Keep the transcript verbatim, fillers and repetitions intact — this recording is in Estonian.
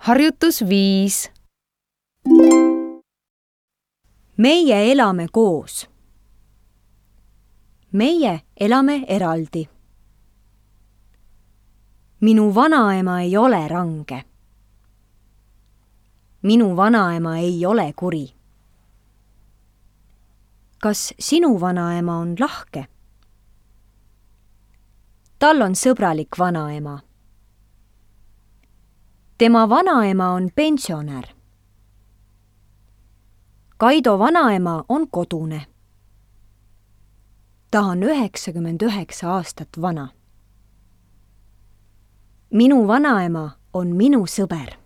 Harjutus viis. Meie elame koos. Meie elame eraldi. Minu vanaema ei ole range. Minu vanaema ei ole kuri. Kas sinu vanaema on lahke? Tal on sõbralik vanaema. Tema vanaema on pensionär. Kaido vanaema on kodune. Ta on üheksakümmend üheksa aastat vana. Minu vanaema on minu sõber.